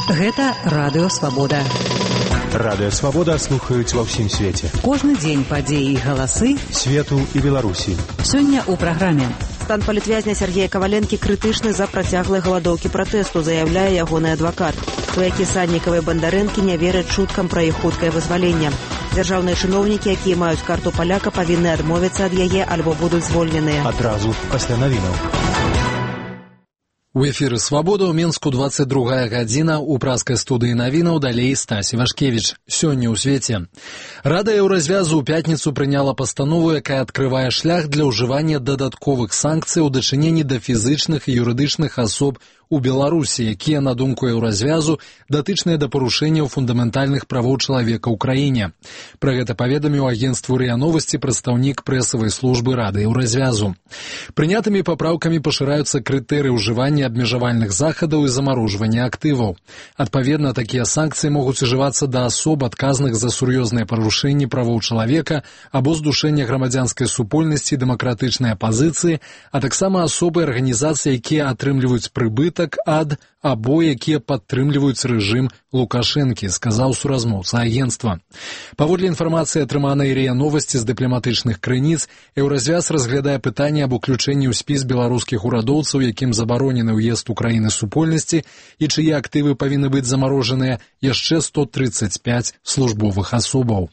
Гэта Радыё Свабода. Радыё Свабода слухаюць ва ўсім свеце. Кожны дзень падзеі і галасы свету і Беларусі. Сёння ў праграме. Стан палітвязня Сергея Каваленкі крытычны за працяглай галадоўкі пратэсту, заяўляе ягоны адвакат. Сваякі Саднікава і Бандарэнкі не вераць чуткам пра іх хуткае вызваленне. Дзяржаўныя чыноўнікі, якія маюць карту паляка, павінны адмовіцца ад яе альбо будуць звольненыя. Адразу пасля навінаў. У эфіры «Свабода» ў Мінску 22 гадзіна, у праскай студыі навінаў далей Стась Івашкевіч. Сёння ў свеце. Рада Еўразвязу ў пятніцу прыняла пастанову, якая адкрывае шлях для ўжывання дадатковых санкцый у дачыненні да фізычных і юрыдычных асоб у Беларусі, якія, на думку Еўразвязу, датычныя да парушэнняў фундаментальных правоў чалавека ў краіне. Пра гэта паведаміў агенцтву РИА Новости прадстаўнік прэсавай службы Рады Еўразвязу. Прынятымі папраўкамі пашыраюцца крытэрыі ўжывання абмежавальных захадаў і замарожвання актываў. Адпаведна, такія санкцыі могуць ужывацца да асоб, адказных за сур'ёзныя парушэнні правоў чалавека або здушэння грамадзянскай супольнасці і дэмакратычнай апазіцыі, а таксама асобы і арганізацыі, якія атрымліваюць прыбытак ад або якія падтрымліваюць рэжым Лукашэнкі, сказаў суразмоўца агенцтва. Паводле інфармацыі, атрыманай РИА Новости з дыпламатычных крыніц, Еўразвяз разглядае пытанне аб уключэнні ў спіс беларускіх урадоўцаў, якім забаронены ўезд Украіны супольнасці і чые актывы павінны быць замарожаныя, яшчэ 135 службовых асобаў.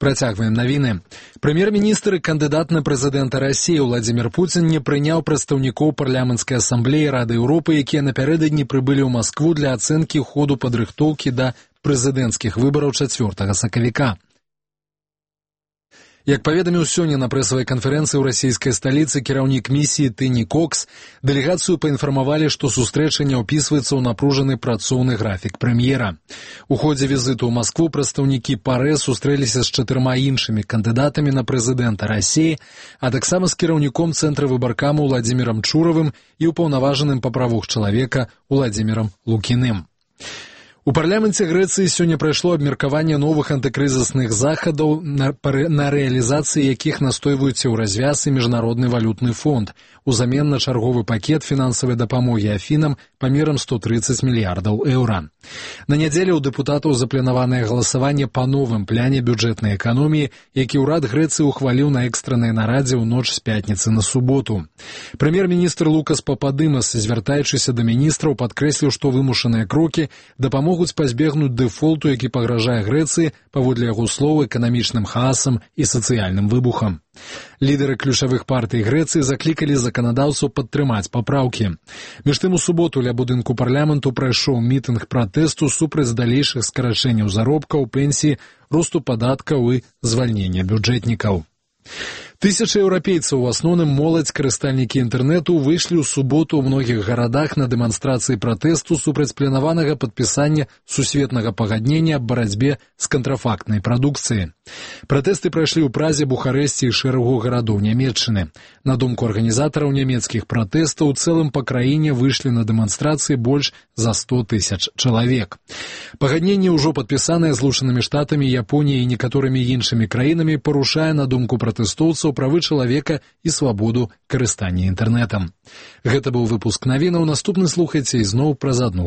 Працягваем навіны. Прэм'ер-міністр і кандыдат на прэзідэнта Расіі Владзімір Пуцін не прыняў прадстаўнікоў парламенцкай асамблеі Рады Еўропы, якія напярэдадні прыбылі ў Маскву для ацэнкі ходу падрыхтоўкі да прэзідэнцкіх выбараў 4 сакавіка. Як паведаміў сёння на прэсавай канферэнцыі ў расійскай сталіцы кіраўнік місіі Тыні Кокс, дэлегацыю паінфармавалі, што сустрэча не ўпісваецца ў напружаны працоўны графік прэм'ера. У ходзе візіту ў Маскву прадстаўнікі ПАРЭ сустрэліся з 4 іншымі кандыдатамі на прэзідэнта Расіі, а таксама з кіраўніком цэнтра выбаркаму Владзімірам Чуравым і ўпаўнаважаным па правах чалавека Владзімірам Лукіным. У парламенце Грэцыі сёння прайшло абмеркаванне новых антыкрызісных захадаў, на рэалізацыі якіх настойваюць Еўразвяз і Міжнародны валютны фонд, узамен на чарговы пакет фінансавай дапамогі Афінам памерам 130 мільярдаў еўра. На нядзелю ў дэпутатаў запланаванае галасаванне па новым пляне бюджэтнай эканоміі, які ўрад Грэцыі ухваліў на экстраннай нарадзе ў ноч з пятніцы на суботу. Прэм'ер-міністр Лукас Пападымас, звяртаючыся да міністраў, падкрэсліў, што вымушаныя крокі дапамогуць пазбегнуць дэфолту, які пагражае Грэцыі, паводле яго слоў, эканамічным хаасам і сацыяльным выбухам. Лідары ключавых партый Грэцыі заклікалі заканадаўцаў падтрымаць папраўкі. Між тым, у суботу ля будынку парламенту прайшоў мітынг пратэсту супраць далейшых скарачэнняў заробкаў, пенсій, росту падаткаў і звальнення бюджэтнікаў. Тысячы еўрапейцаў, у асноўным моладзь, карыстальнікі інтэрнэту, выйшлі ў суботу ў многіх гарадах на дэманстрацыі пратэсту супраць планаванага падпісання сусветнага пагаднення аб барацьбе з кантрафактнай прадукцыяй. Пратэсты прайшлі ў Празе, Бухарэсце і шэрагу гарадоў Нямецчыны. На думку арганізатараў нямецкіх пратэстаў, у цэлым па краіне выйшлі на дэманстрацыі больш за 100 тысяч чалавек. Пагадненне, ўжо падпісанае Злучанымі Штатамі, Японіяй і некаторымі іншымі краінамі, парушае, на думку пратэстоўцаў, правы чалавека і свабоду карыстання інтэрнэтам. Гэта быў выпуск навінаў. Наступны слухайце ізноў праз 1